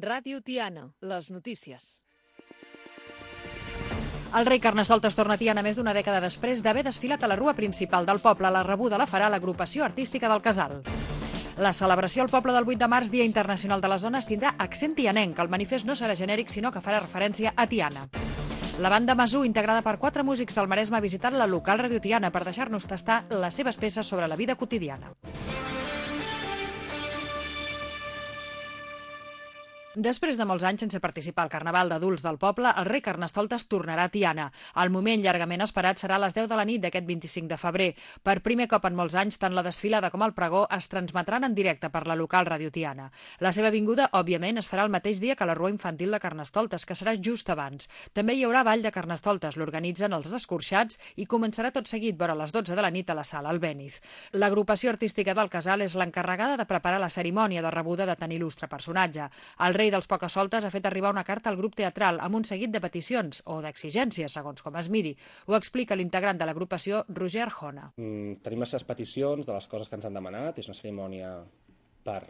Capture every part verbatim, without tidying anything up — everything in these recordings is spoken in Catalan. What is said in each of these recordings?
Ràdio Tiana, les notícies. El rei Carnestoltes torna a Tiana més d'una dècada després d'haver desfilat a la rua principal del poble. La rebuda la farà l'agrupació artística del Casal. La celebració al poble del vuit de març, Dia Internacional de les Dones, tindrà accent tianenc. El manifest no serà genèric, sinó que farà referència a Tiana. La banda Masú, integrada per quatre músics del Maresme, ha visitat la local Ràdio Tiana per deixar-nos tastar les seves peces sobre la vida quotidiana. Després de molts anys sense participar al Carnaval d'adults del poble, el rei Carnestoltes tornarà a Tiana. El moment llargament esperat serà a les deu de la nit d'aquest vint-i-cinc de febrer. Per primer cop en molts anys, tant la desfilada com el pregó es transmetran en directe per la local Ràdio Tiana. La seva vinguda, òbviament, es farà el mateix dia que la rua infantil de Carnestoltes, que serà just abans. També hi haurà ball de Carnestoltes, l'organitzen els Descorxats i començarà tot seguit vora les dotze de la nit a la sala Albéniz. L'agrupació artística del Casal és l'encarregada de preparar la cerimònia de rebuda de tan il·lustre personatge. El rei dels Pocasoltes ha fet arribar una carta al grup teatral amb un seguit de peticions o d'exigències, segons com es miri. Ho explica l'integrant de l'agrupació, Roger Arjona. Mm, tenim les seves peticions de les coses que ens han demanat. És una cerimònia per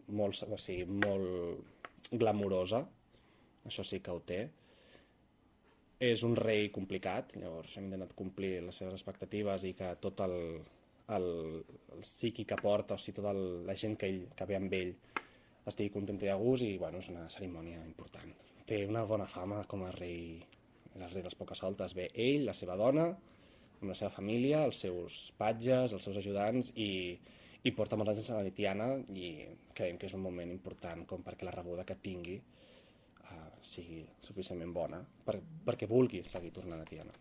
molt, o sigui, molt glamurosa. Això sí que ho té. És un rei complicat, llavors hem intentat complir les seves expectatives i que tot el, el, el psiqui que porta, o sigui, tota el, la gent que, ell, que ve amb ell estigui content i a gust i bueno, és una cerimònia important. Té una bona fama com a rei, el rei dels Pocasoltes. Ve ell, la seva dona, amb la seva família, els seus patges, els seus ajudants i, i porta molts anys a la Tiana i creiem que és un moment important com perquè la rebuda que tingui uh, sigui suficientment bona per, perquè vulgui seguir tornant a Tiana.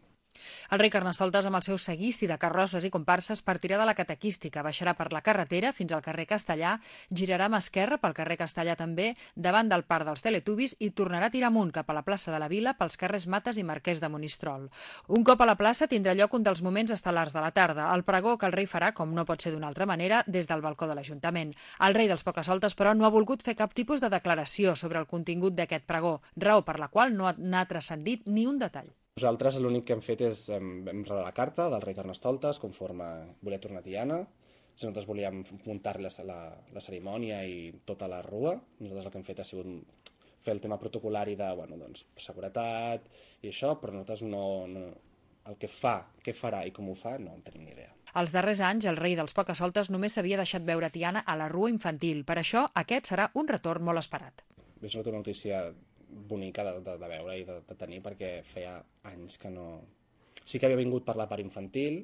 El rei Carnestoltes, amb el seu seguici de carrosses i comparses, partirà de la catequística, baixarà per la carretera fins al carrer Castellà, girarà a mà esquerra pel carrer Castellà també, davant del parc dels Teletubbies i tornarà a tirar amunt cap a la plaça de la Vila pels carrers Mates i Marquès de Monistrol. Un cop a la plaça tindrà lloc un dels moments estel·lars de la tarda, el pregó que el rei farà, com no pot ser d'una altra manera, des del balcó de l'Ajuntament. El rei dels Pocasoltes, però, no ha volgut fer cap tipus de declaració sobre el contingut d'aquest pregó, raó per la qual no n'ha transcendit ni un detall. Nosaltres l'únic que hem fet és hem, hem rebut la carta del rei Carnestoltes conforme volia tornar a Tiana. Si nosaltres volíem muntar-li la, la, la cerimònia i tota la rua, nosaltres el que hem fet ha sigut fer el tema protocolari de bueno, doncs, seguretat i això, però nosaltres no, no, el que fa, què farà i com ho fa, no en tenim ni idea. Els darrers anys, el rei dels Pocasoltes només s'havia deixat veure Tiana a la rua infantil. Per això, aquest serà un retorn molt esperat. És una notícia bonica de, de, de veure i de, de tenir perquè feia anys que no... Sí que havia vingut per la part infantil,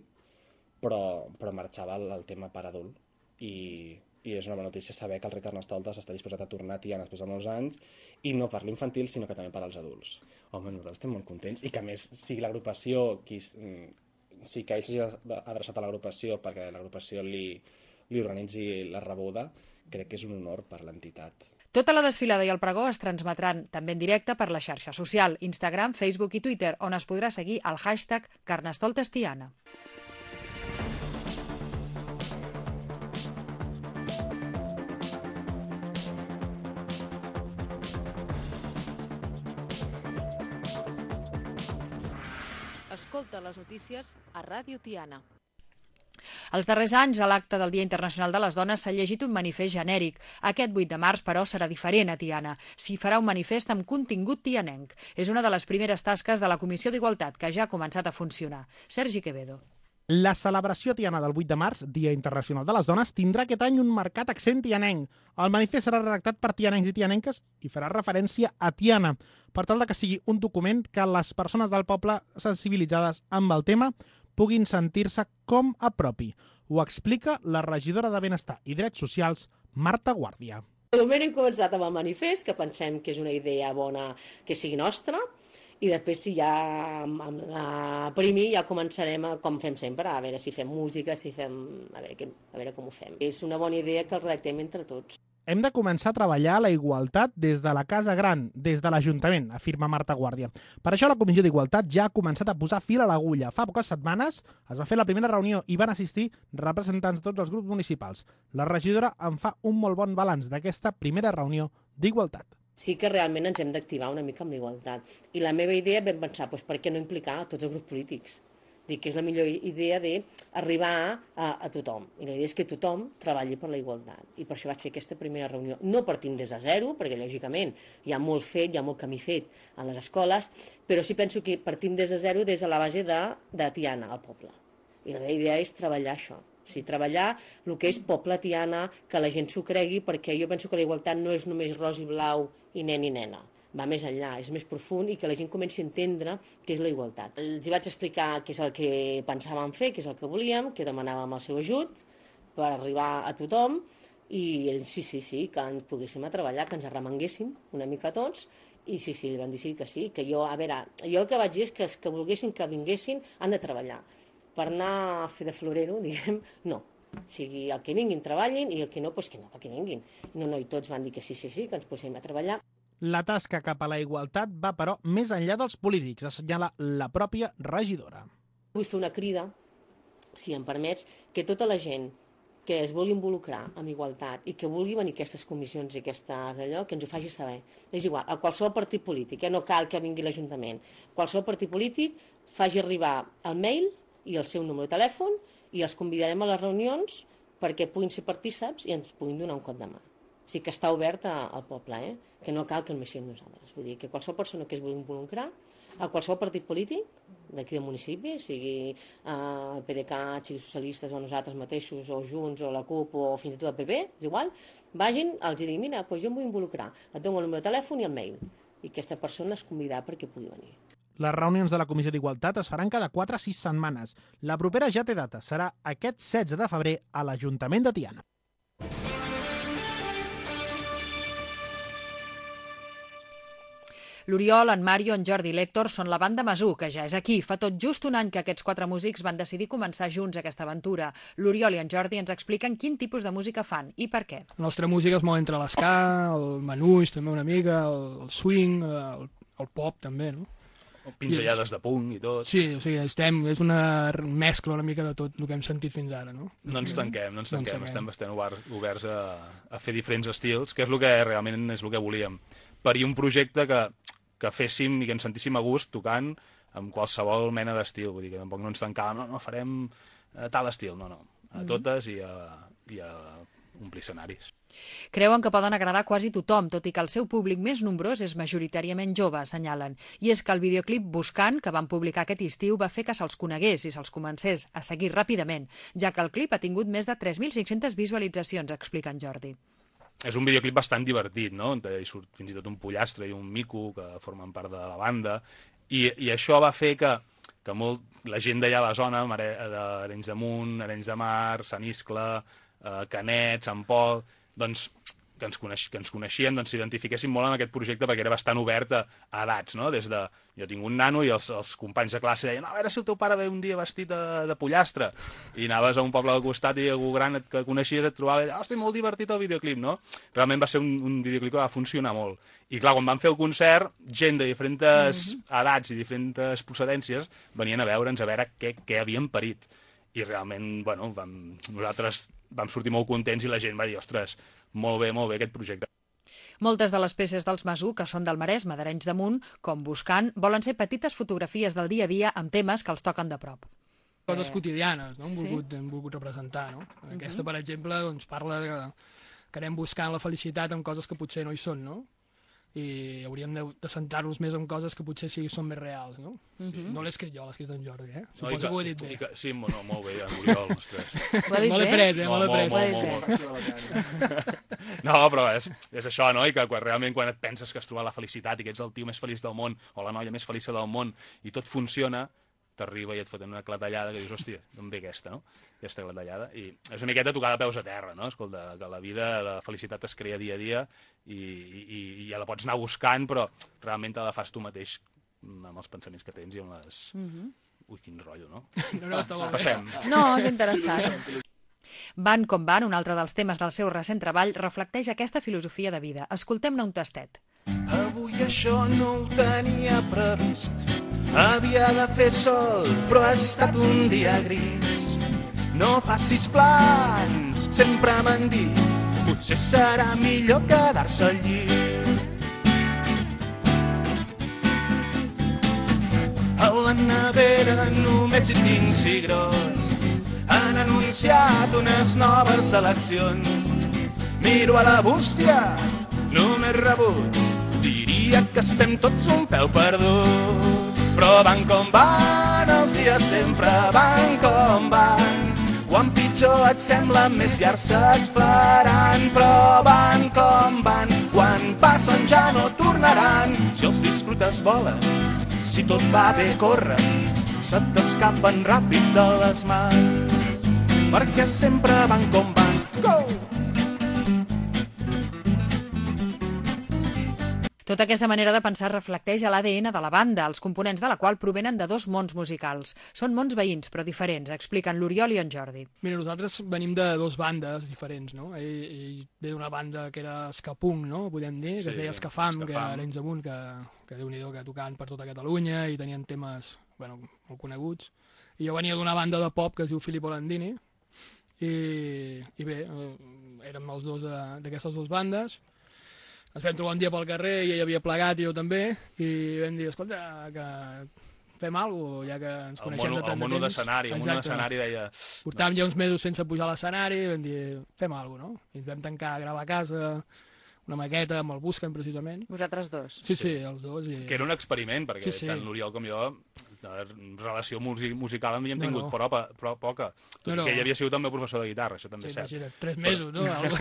però, però marxava el, el tema per adult i, i és una bona notícia saber que el rei Carnestoltes està disposat a tornar a Tiana després de molts anys i no per l'infantil sinó que també per als adults. Home, nosaltres estem molt contents i que a més sigui l'agrupació qui... Sí que ell s'hagi adreçat a l'agrupació perquè l'agrupació li, li organitzi la rebuda, crec que és un honor per l'entitat. Tota la desfilada i el pregó es transmetran també en directe per la xarxa social, Instagram, Facebook i Twitter, on es podrà seguir el hashtag Carnestoltestiana. Escolta les notícies a Ràdio Tiana. Els darrers anys, a l'acte del Dia Internacional de les Dones s'ha llegit un manifest genèric. Aquest vuit de març, però, serà diferent a Tiana. S'hi farà un manifest amb contingut tianenc. És una de les primeres tasques de la Comissió d'Igualtat, que ja ha començat a funcionar. Sergi Quevedo. La celebració tiana del vuit de març, Dia Internacional de les Dones, tindrà aquest any un marcat accent tianenc. El manifest serà redactat per tianencs i tianenques i farà referència a Tiana, per tal de que sigui un document que les persones del poble sensibilitzades amb el tema puguin sentir-se com a propi. Ho explica la regidora de Benestar i Drets Socials, Marta Guàrdia. De moment hem començat amb el manifest, que pensem que és una idea bona que sigui nostra, i després si ja amb la primi ja començarem a, com fem sempre, a veure si fem música, si fem, a veure, a veure com ho fem. És una bona idea que el redactem entre tots. Hem de començar a treballar la igualtat des de la Casa Gran, des de l'Ajuntament, afirma Marta Guàrdia. Per això la Comissió d'Igualtat ja ha començat a posar fil a l'agulla. Fa poques setmanes es va fer la primera reunió i van assistir representants de tots els grups municipals. La regidora en fa un molt bon balanç d'aquesta primera reunió d'igualtat. Sí que realment ens hem d'activar una mica amb l'igualtat. I la meva idea vam pensar, doncs, per què no implicar a tots els grups polítics? Dic que és la millor idea d'arribar a, a tothom. I la idea és que tothom treballi per la igualtat. I per això vaig fer aquesta primera reunió. No partim des de zero, perquè lògicament hi ha molt fet, hi ha molt camí fet en les escoles, però sí penso que partim des de zero, des de la base de, de Tiana, al poble. I la meva idea és treballar això. O sigui, treballar el que és poble Tiana, que la gent s'ho cregui, perquè jo penso que la igualtat no és només ros i blau i nen i nena. Va més enllà, és més profund i que la gent comenci a entendre què és la igualtat. Els hi vaig explicar què és el que pensàvem fer, què és el que volíem, que demanàvem el seu ajut per arribar a tothom i ells sí, sí, sí, que ens poguéssim a treballar, que ens arremanguéssim una mica tots i sí, sí, van decidir que sí, que jo, a veure, jo el que vaig dir és que els que volguessin que vinguessin han de treballar. Per anar a fer de florero, diguem, no. O sigui, el que vinguin treballin i el que no, doncs que no, que vinguin. No, no, i tots van dir que sí, sí, sí, que ens posem a treballar. La tasca cap a la igualtat va, però, més enllà dels polítics, assenyala la pròpia regidora. Vull fer una crida, si em permets, que tota la gent que es vulgui involucrar en igualtat i que vulgui venir a aquestes comissions i aquestes allò, que ens ho faci saber. És igual, a qualsevol partit polític, eh? No cal que vingui l'Ajuntament. Qualsevol partit polític faci arribar el mail i el seu número de telèfon i els convidarem a les reunions perquè puguin ser partíceps i ens puguin donar un cop de mà. O sigui que està obert al poble, eh? Que no cal que només siguem nosaltres. Vull dir que qualsevol persona que es vulgui involucrar, a qualsevol partit polític d'aquí del municipi, sigui eh, el P D C A, sigui socialistes o nosaltres mateixos, o Junts, o la CUP, o fins i tot el P P, és igual, vagin, els dic, mira, doncs jo em vull involucrar, et dono el número de telèfon i el mail, i aquesta persona es convidarà perquè pugui venir. Les reunions de la Comissió d'Igualtat es faran cada quatre a sis setmanes. La propera ja té data, serà aquest setze de febrer a l'Ajuntament de Tiana. L'Oriol, en Mario, en Jordi i l'Héctor són la banda Masú, que ja és aquí. Fa tot just un any que aquests quatre músics van decidir començar junts aquesta aventura. L'Oriol i en Jordi ens expliquen quin tipus de música fan i per què. La nostra música es mou entre l'esca, el manús també una mica, el swing, el, el pop també, no? Pinzellades de punk i tot. Sí, o sigui, estem, és una mescla una mica de tot el que hem sentit fins ara, no? No ens tanquem, no ens tanquem, no ens estem bastant oberts a, a fer diferents estils, que és el que realment és el que volíem. Parir un projecte que, que féssim i que ens sentíssim a gust tocant amb qualsevol mena d'estil, vull dir que tampoc no ens tancàvem, no, no, farem tal estil, no, no, a totes i a, i a omplir escenaris. Creuen que poden agradar quasi tothom, tot i que el seu públic més nombrós és majoritàriament jove, assenyalen. I és que el videoclip Buscant, que van publicar aquest estiu, va fer que se'ls conegués i se'ls comencés a seguir ràpidament, ja que el clip ha tingut més de tres mil cinc-centes visualitzacions, explica en Jordi. És un videoclip bastant divertit, no? Hi surt fins i tot un pollastre i un mico que formen part de la banda, i, i això va fer que, que molt, la gent d'allà a la zona, d'Arenys de Munt, Arenys de Mar, Sant Iscle, eh, Canet, Sant Pol, doncs, que ens, coneix, que ens coneixien, doncs s'identifiquessin molt en aquest projecte perquè era bastant obert a, a edats, no? Des de, jo tinc un nano i els, els companys de classe deien, no, a veure si el teu pare ve un dia vestit de, de pollastre, i anaves a un poble del costat i algú gran que coneixies et trobava i deia, hosti, molt divertit el videoclip, no? Realment va ser un, un videoclip que va funcionar molt. I clar, quan vam fer el concert, gent de diferents mm-hmm. edats i diferents procedències venien a veure'ns, a veure què, què havien parit. I realment, bueno, vam, nosaltres vam sortir molt contents i la gent va dir, ostres, molt bé, molt bé aquest projecte. Moltes de les peces dels Masú, que són del Maresme, d'Arenys de Munt, com Buscant, volen ser petites fotografies del dia a dia amb temes que els toquen de prop. Coses quotidianes, no? Hem volgut, hem volgut representar, no? Aquesta, per exemple, doncs, parla de que anem buscant la felicitat amb coses que potser no hi són, no? I hauríem de, de centrar-nos més en coses que potser sí són més reals, no? Sí. No l'he escrit jo, l'he escrit en Jordi, eh? Suposo no, que, que ho he dit bé. Que, sí, no, molt bé, en Oriol, ostres. Ho he dit bé? Pres, eh? No, molt, molt, molt, molt, molt. No, però és, és això, no? I que quan, realment quan et penses que has trobat la felicitat i que ets el tio més feliç del món o la noia més feliç del món i tot funciona, t'arriba i et foten una clatellada que dius, hòstia, d'on ve aquesta, no? Aquesta clatellada. I és una miqueta tocar de peus a terra, no? Escolta, que la vida, la felicitat es crea dia a dia i, i, i ja la pots anar buscant, però realment te la fas tu mateix amb els pensaments que tens i amb les... Mm-hmm. Ui, quin rotllo, no? No, no, està molt bé. Passem. No, és interessant. Van com van, un altre dels temes del seu recent treball, reflecteix aquesta filosofia de vida. Escoltem-ne un tastet. Avui això no ho tenia previst. Havia de fer sol, però ha estat un dia gris. No facis plans, sempre m'han dit, potser serà millor quedar-se al llit. A la nevera només i tinc cigrons. Han anunciat unes noves eleccions. Miro a la bústia, només rebuts. Diria que estem tots un pèl perdut. Però van com van, els dies sempre van com van. Quan pitjor et sembla, més llargs se't faran. Però van com van, quan passen ja no tornaran. Si els disfrutes volen, si tot va bé corren, se't escapen ràpid de les mans. Perquè sempre van com van. Go! Tota aquesta manera de pensar reflecteix a l'A D N de la banda, els components de la qual provenen de dos mons musicals. Són mons veïns, però diferents, expliquen l'Oriol i en Jordi. Mira, nosaltres venim de dues bandes diferents, no? Ell, ell ve d'una banda que era Escapunk, no? Podem dir, que Sí, es deia Escafam, que Escafam. era Arenys Amunt, que, que déu-n'hi-do, que tocaven per tota Catalunya i tenien temes, bueno, molt coneguts. I jo venia d'una banda de pop que es diu Filippo Landini, i, i bé, eh, érem els dos eh, d'aquestes dues bandes. Ens vam trobar un dia pel carrer i ell havia plegat i jo també, i vam dir, escolta, que fem alguna cosa, ja que ens El coneixem mono, de tant el de mono temps. d'escenari, el mono Exacte. d'escenari deia... Portàvem ja uns mesos sense pujar a l'escenari i vam dir, fem alguna cosa, no? I ens vam tancar a gravar a casa, una maqueta amb el Busquen, precisament. Vosaltres dos. Sí, sí, els dos. I... Que era un experiment, perquè Sí, sí. tant l'Oriol com jo, de relació músic musical en havíem No, tingut no. però, però poca. Tot No, i no. que ell havia sigut el meu professor de guitarra, això també Sí, és cert. imagina't, tres mesos, no? Algo...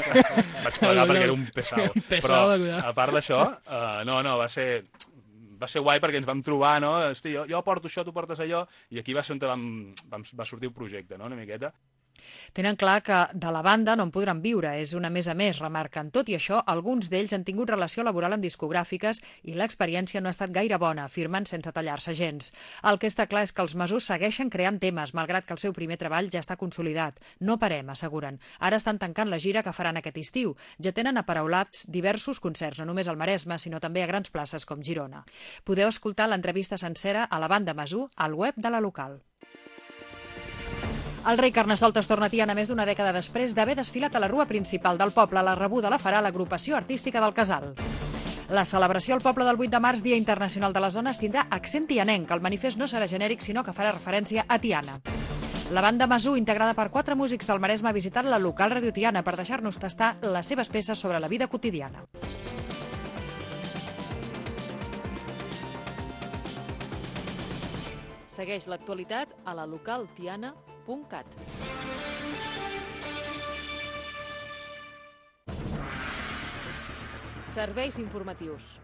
Vaig plegar perquè era un pesau. Un pesau Però, de cuidar. a part d'això, uh, no, no, va ser... va ser guai perquè ens vam trobar, no? Hosti, jo, jo porto això, tu portes allò, i aquí va ser on vam, vam, va sortir el projecte, no?, una miqueta. Tenen clar que de la banda no en podran viure, és una més a més, remarquen. Tot i això, alguns d'ells han tingut relació laboral amb discogràfiques i l'experiència no ha estat gaire bona, afirmen sense tallar-se gens. El que està clar és que els Masús segueixen creant temes, malgrat que el seu primer treball ja està consolidat. No parem, asseguren. Ara estan tancant la gira que faran aquest estiu. Ja tenen aparaulats diversos concerts, no només al Maresme, sinó també a grans places com Girona. Podeu escoltar l'entrevista sencera a la banda Masú al web de la local. El rei Carnestoltes torna a Tiana més d'una dècada després d'haver desfilat a la rua principal del poble. La rebuda la farà l'agrupació artística del Casal. La celebració al poble del vuit de març, Dia Internacional de les Dones, tindrà accent tianenc. El manifest no serà genèric, sinó que farà referència a Tiana. La banda Masú, integrada per quatre músics del Maresme, ha visitat la local Radio Tiana per deixar-nos tastar les seves peces sobre la vida quotidiana. Segueix l'actualitat a la local tiana punt cat. Serveis informatius.